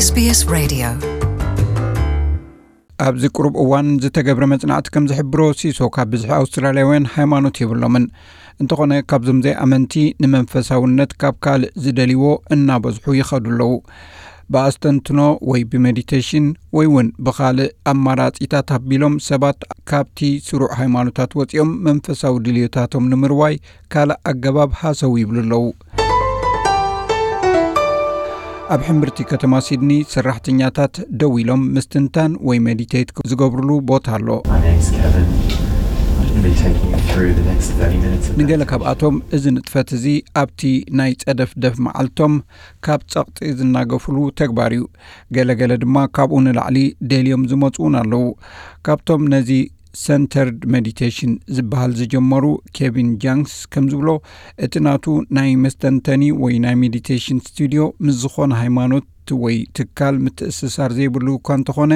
SBS Radio. ኣብዚ ቅሩብ እዋን ዝተገብረ መጽናዕቲ ከም ዝሕብሮ፣ ሲሶ ካብ ብዝሒ ኣውስትራልያውያን ሃይማኖት የብሎምን። እንተኾነ፣ ካብዞም ዘይኣመንቲ ንመንፈሳውነት ካብ ካልእ ዝደልይዎ እናበዝሑ ይኸዱ ኣለዉ። ብኣስተንትኖ ወይ ብሜዲቴሽን ወይ እውን ብኻልእ ኣማራጺታት ኣቢሎም ሰባት ካብቲ ስሩዕ ሃይማኖታት ወጺኦም መንፈሳዊ ድልዮታቶም ንምርዋይ ካልእ ኣገባብ ሃሰው ይብሉ ኣለዉ። ኣብ ሕምብርቲ ከተማ ሲድኒ ሰራሕተኛታት ደው ኢሎም ምስትንታን ወይ ሜዲቴት ዝገብሩሉ ቦታ ኣሎ። My name's Kevin. I'm gonna be taking you through the next thirty minutes of ንገለ meditation. ካብኣቶም እዚ ንጥፈት እዚ ኣብቲ ናይ ጸደፍደፍ መዓልቶም ካብ ጸቕጢ ዝናገፍሉ ተግባር እዩ። ገለገለ ድማ ካብኡ ንላዕሊ ደልዮም ዝመጹ እውን ኣለዉ። ካብቶም ነዚ ሰንተርድ ሜዲቴሽን ዝበሃል ዝጀመሩ ኬቪን ጃንክስ ከም ዝብሎ፣ እቲ ናቱ ናይ መስተንተኒ ወይ ናይ ሜዲቴሽን ስቱድዮ ምስ ዝኾነ ሃይማኖት ወይ ትካል ምትእስሳር ዘይብሉ እኳ እንተኾነ፣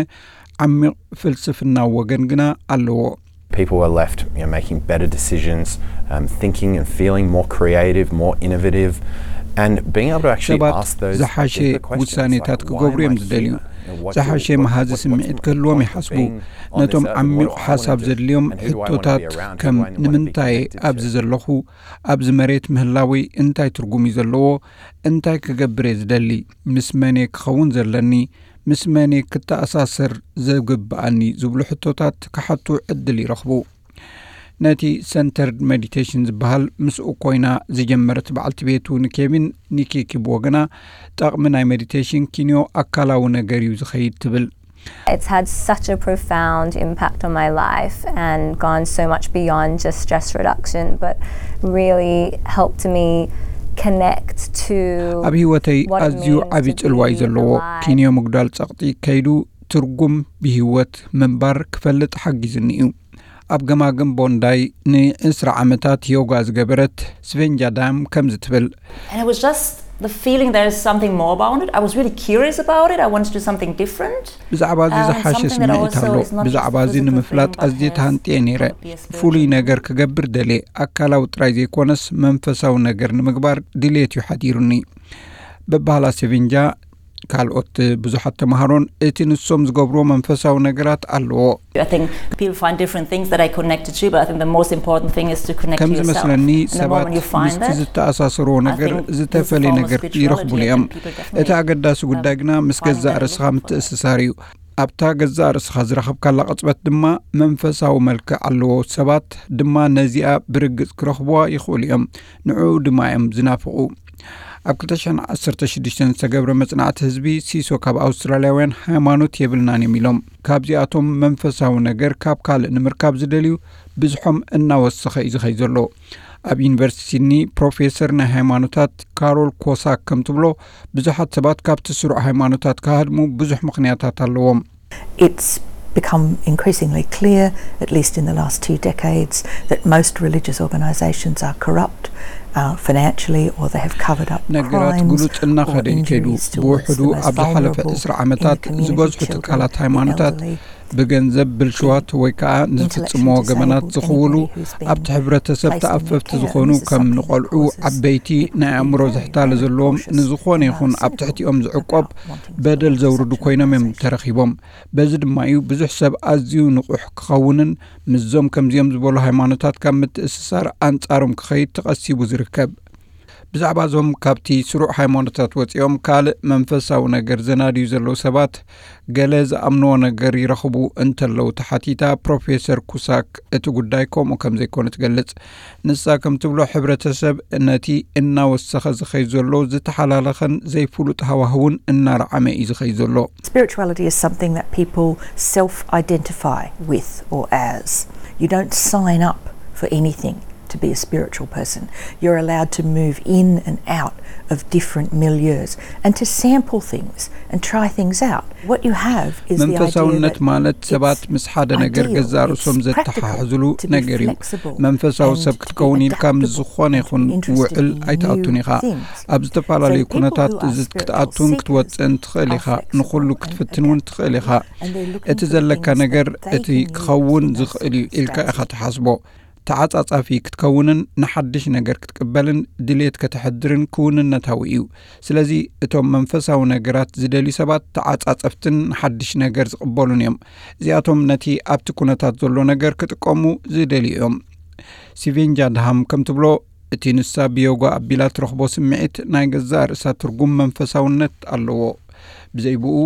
ዓሚቕ ፍልስፍናዊ ወገን ግና ኣለዎ። People are left, you know, making better decisions, um, thinking and feeling more creative, more innovative, and being able to actually ሰባት ask those ዝሓሸ deeper questions, ውሳኔታት like, ክገብሩ "Why am እዮም I ዝደልዩ። Here? You know, what ዝሓሸ do- what- መሃዚ what- what's ስምዒት my ክህልዎም point of ይሓስቡ። Being on ነቶም this earth? ዓሚቕ What do I ሓሳብ wanna do? ዘድልዮም And who do I wanna be ሕቶታት around? Who ከም do I wanna be ንምንታይ connected ኣብዚ to?" ዘለኹ? ኣብዚ መሬት ምህላወይ እንታይ ትርጉም እዩ ዘለዎ? እንታይ ክገብር እየ ዝደሊ? ምስ መን እየ ክኸውን ዘለኒ? ምስ መን እየ ክተኣሳሰር ዝግብኣኒ? ዝብሉ ሕቶታት ክሓቱ ዕድል ይረኽቡ። ነቲ ሰንተርድ ሜዲቴሽን ዝበሃል ምስኡ ኮይና ዝጀመረት በዓልቲ ቤቱ ንኬቪን ኒኪ ኪብዎ ግና፣ ጠቕሚ ናይ ሜዲቴሽን ኪንዮ ኣካላዊ ነገር እዩ ዝኸይድ ትብል። It's had such a profound impact on my life and gone so much beyond just stress reduction, but really helped me connect to ኣብ ህይወተይ ኣዝዩ ዓቢ ጽልዋ እዩ ዘለዎ። ኪንዮ ምጉዳል ጸቕጢ ከይዱ ትርጉም ብህይወት ምንባር ክፈልጥ ሓጊዝኒ እዩ። ኣብ ገማግም ቦንዳይ ንዕስራ ዓመታት ዮጋ ዝገበረት ስቬንጃ ዳም ከምዚ ትብል። And it was just the feeling there is something more about it. I was really curious about it. I wanted to do something different. ብዛዕባ እዚ ዝሓሸ ስምዒት ኣሎ። ብዛዕባ እዚ ንምፍላጥ ኣዝየ ተሃንጥየ ነይረ። ፍሉይ ነገር ክገብር ደልየ። ኣካላዊ ጥራይ ዘይኮነስ መንፈሳዊ ነገር ንምግባር ድሌት እዩ ሓዲሩኒ። በባህላ ሴቪንጃ ካልኦት ብዙሓት ተምሃሮን እቲ ንሶም ዝገብርዎ መንፈሳዊ ነገራት ኣለዎ። I think people find different things that I connected to, but I think the most important thing is to connect ከም to yourself. ዝመስለኒ ሰባት ምስቲ ዝተኣሳሰርዎ ነገር ዝተፈለየ ነገር ይረኽቡሉ እዮም። እቲ ኣገዳሲ ጉዳይ ግና ምስ ገዛእ ርእስኻ ምትእስሳር እዩ። ኣብታ ገዛእ ርእስኻ ዝረኸብካላ ቅጽበት ድማ መንፈሳዊ መልክዕ ኣለዎ። ሰባት ድማ ነዚኣ ብርግጽ ክረኽብዋ ይኽእሉ እዮም። ንዕኡ ድማ እዮም ዝናፍቑ። ኣብ ክልተ ሽሕን ዓሰርተ ሽዱሽተን ዝተገብረ መጽናዕቲ ህዝቢ ሲሶ ካብ ኣውስትራልያውያን ሃይማኖት የብልናን እዮም ኢሎም። ካብዚኣቶም መንፈሳዊ ነገር ካብ ካልእ ንምርካብ ዝደልዩ ብዝሖም እናወሰኸ እዩ ዝኸይ ዘሎ። ኣብ ዩኒቨርሲቲ ሲድኒ ፕሮፌሰር ናይ ሃይማኖታት ካሮል ኮሳክ ከም ትብሎ፣ ብዙሓት ሰባት ካብቲ ስሩዕ ሃይማኖታት ክሃድሙ ብዙሕ ምኽንያታት ኣለዎም። It's become increasingly clear, at least in the last two decades, that most religious organisations are corrupt, uh, financially, or they have covered up ነገራት ግሉጽ እናኸደ ይከይዱ። ብውሕዱ ኣብ ዝሓለፈ ዕስራ ዓመታት ዝበዝሑ ትካላት ሃይማኖታት ብገንዘብ ብልሽዋት ወይ ከዓ ንዝፍጽምዎ ገበናት ዝኽውሉ ኣብቲ ሕብረተሰብ ተኣፈፍቲ ዝኾኑ ከም ንቆልዑ፣ ዓበይቲ፣ ናይ ኣእምሮ ዝሕታለ ዘለዎም ንዝኾነ ይኹን ኣብ ትሕቲኦም ዝዕቆብ በደል ዘውርዱ ኮይኖም እዮም ተረኺቦም። በዚ ድማ እዩ ብዙሕ ሰብ ኣዝዩ ንቑሕ ክኸውንን ምስዞም ከምዚኦም ዝበሉ ሃይማኖታት ካብ ምትእስሳር ኣንጻሮም ክኸይድ ተቐሲቡ ዝርከብ። ብዛዕባ እዞም ካብቲ ስሩዕ ሃይማኖታት ወጺኦም ካልእ መንፈሳዊ ነገር ዘናድዩ ዘለዉ ሰባት ገለ ዝኣምንዎ ነገር ይረኽቡ እንተለዉ ተሓቲታ ፕሮፌሰር ኩሳክ እቲ ጉዳይ ከምኡ ከም ዘይኮነ ትገልጽ። ንሳ ከም ትብሎ ሕብረተሰብ ነቲ እናወሰኸ ዝኸይ ዘሎ ዝተሓላለኸን ዘይፍሉጥ ሃዋህውን እናረዓመ እዩ ዝኸይ ዘሎ። Spirituality is something that people self-identify with or as. You don't sign up for anything to be a spiritual person. You're allowed to move in and out of different milieus and to sample things and try things out. What you have is the idea መንፈሳውነት ማለት ሰባት ምስ ሓደ ነገር ገዛእ ርእሶም ዘተሓሕዝሉ ነገር እዩ። መንፈሳዊ ሰብ ክትከውን ኢልካ ምስ ዝኾነ ይኹን ውዕል ኣይትኣቱን ኢኻ። ኣብ ዝተፈላለዩ ኩነታት ክትኣቱን ክትወፅእን ትኽእል ኢኻ። ንኹሉ ክትፍትን እውን ትኽእል ኢኻ። እቲ ዘለካ ነገር እቲ ክኸውን ዝኽእል እዩ ኢልካ ኢኻ ትሓስቦ። ተዓጻጻፊ ክትከውንን ንሓድሽ ነገር ክትቅበልን ድሌት ከተሕድርን ክውንነታዊ እዩ። ስለዚ እቶም መንፈሳዊ ነገራት ዝደልዩ ሰባት ተዓጻጸፍትን ንሓድሽ ነገር ዝቕበሉን እዮም። እዚኣቶም ነቲ ኣብቲ ኩነታት ዘሎ ነገር ክጥቀሙ ዝደልዩ እዮም። ሲቬንጃ ድሃም ከም ትብሎ፣ እቲ ንሳ ብዮጋ ኣቢላ ትረኽቦ ስምዒት ናይ ገዛእ ርእሳ ትርጉም መንፈሳውነት ኣለዎ። ብዘይ ብኡ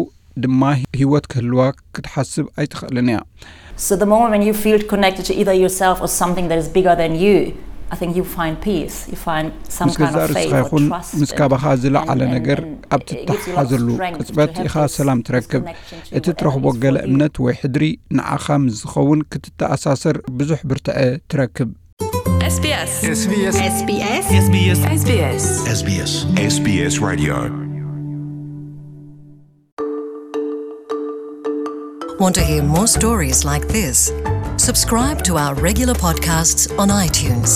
ድማ ህይወት ክህልዋ ክትሓስብ ኣይትኽእልን እያ። So the moment when you feel connected to either yourself or something that is bigger than you, I think you find peace. You find some ምስ kind ገዛእ of faith ርእስኻ or ይኹን trust. ምስ ካባኻ ዝለዓለ And- and- ነገር and ኣብ it gives you a lot of ትተሓሓዘሉ strength to ቅጽበት have ኢኻ this- ሰላም this ትረክብ። connection to እቲ whatever ትረኽቦ is ገለ for you. እምነት ወይ ሕድሪ ንዓኻ ምስ ዝኸውን ክትተኣሳሰር ብዙሕ ብርትዐ ትረክብ። S B S. S B S. S B S. S B S. S B S. S B S. S B S Radio. Want to hear more stories like this? Subscribe to our regular podcasts on iTunes.